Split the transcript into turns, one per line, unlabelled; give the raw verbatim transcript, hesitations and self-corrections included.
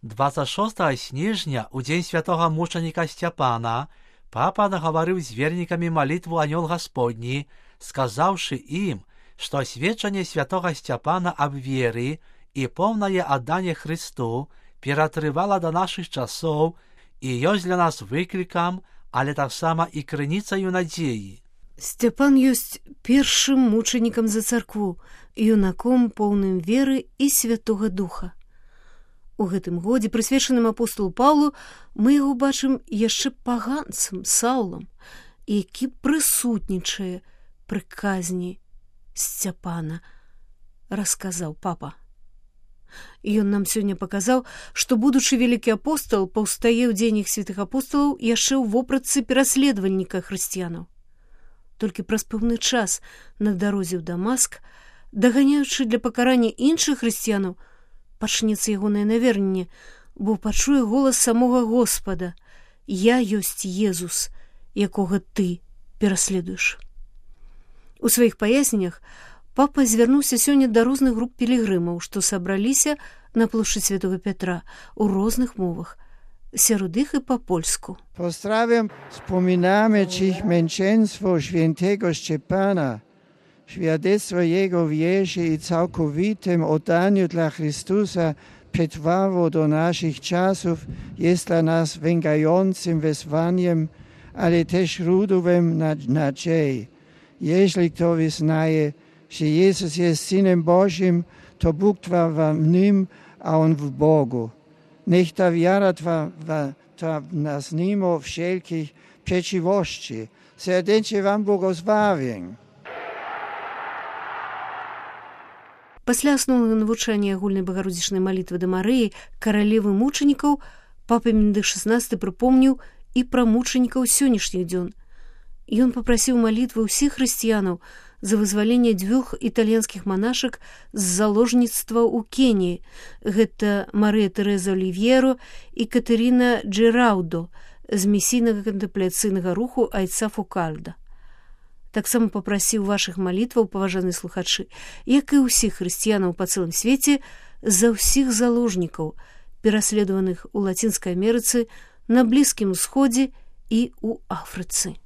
двадцять шостого снежня, у дзень святого мученіка Сцяпана, папа нагаварыў з вернікамі малітву Анёл Гасподні, сказаўшы ім, што сведчанне святого Сцяпана аб веры і поўнае адданне Христу ператрывала да нашых часоў і ёсць для нас выклікам, але таксама і крыніцаю надзеі.
Сцяпан ёсць першым мучанікам за царкву, юнаком поўным веры і Святога Духа. У гэтым годзе, прысвечаным апостолу Паўлу, мы яго бачым яшчэ паганцам, Саўлам, які прысутнічае пры казні Сцяпана, расказаў папа. Ён нам сёння паказаў, што будучы вялікі апостол паўстае ў дзень іх святых апостолаў яшчэ ў вопратцы пераследавальніка хрысціянаў. Толькі праз пэўны час на дарозе ў Дамаск, даганяючы для пакарання іншых хрысціянаў, пачнецца ягонае наверненне, бо пачуе голас самога Господа: «Я ёсць Езус, якога ты пераследуеш». У сваіх паясненнях папа звярнуўся сёння да розных груп пілігрымаў, што сабраліся на плошчы Святого Петра ў розных мовах, сярод іх і па-польску.
Pozdrawiam, wspominamy dziś męczeństwo świętego Szczepana, świadectwo jego wierze i całkowitym oddaniu dla Chrystusa przetrwało do naszych czasów, jest dla nas węgającym wezwaniem, ale też źródłem nadziei. Jeśli kto wyznaje, że Jezus jest Synem Bożym, to Bóg trwa w Nim, a On w Bogu. Niech ta wiara trwa, trwa w nas mimo wszelkich przeciwności. Serdecznie Wam błogosławię.
Пасля асноўнага навучання агульнай багародзічнай малітвы да Марыі, каралевы мучанікаў, папа Бенедыкт шаснасты прыпомніў і пра мучанікаў сённяшніх дзён. Ён папрасіў малітвы ўсіх хрысціянаў за вызваленне дзвюх італьянскіх манашак з заложніцтва ў Кеніі. Гэта Марыя Тэрэза Олівьеро і Катэріна Джераўдо з місійнага кантэмпляцыйнага руху айца Фукальда. Таксама папрасіў вашых малітваў, паважаныя слухачы, як і ўсіх хрысціянаў па цэлым свеце, за ўсіх заложнікаў, пераследаваных у Лацінскай Амерыцы, на Блізкім Усходзе і ў Афрыцы.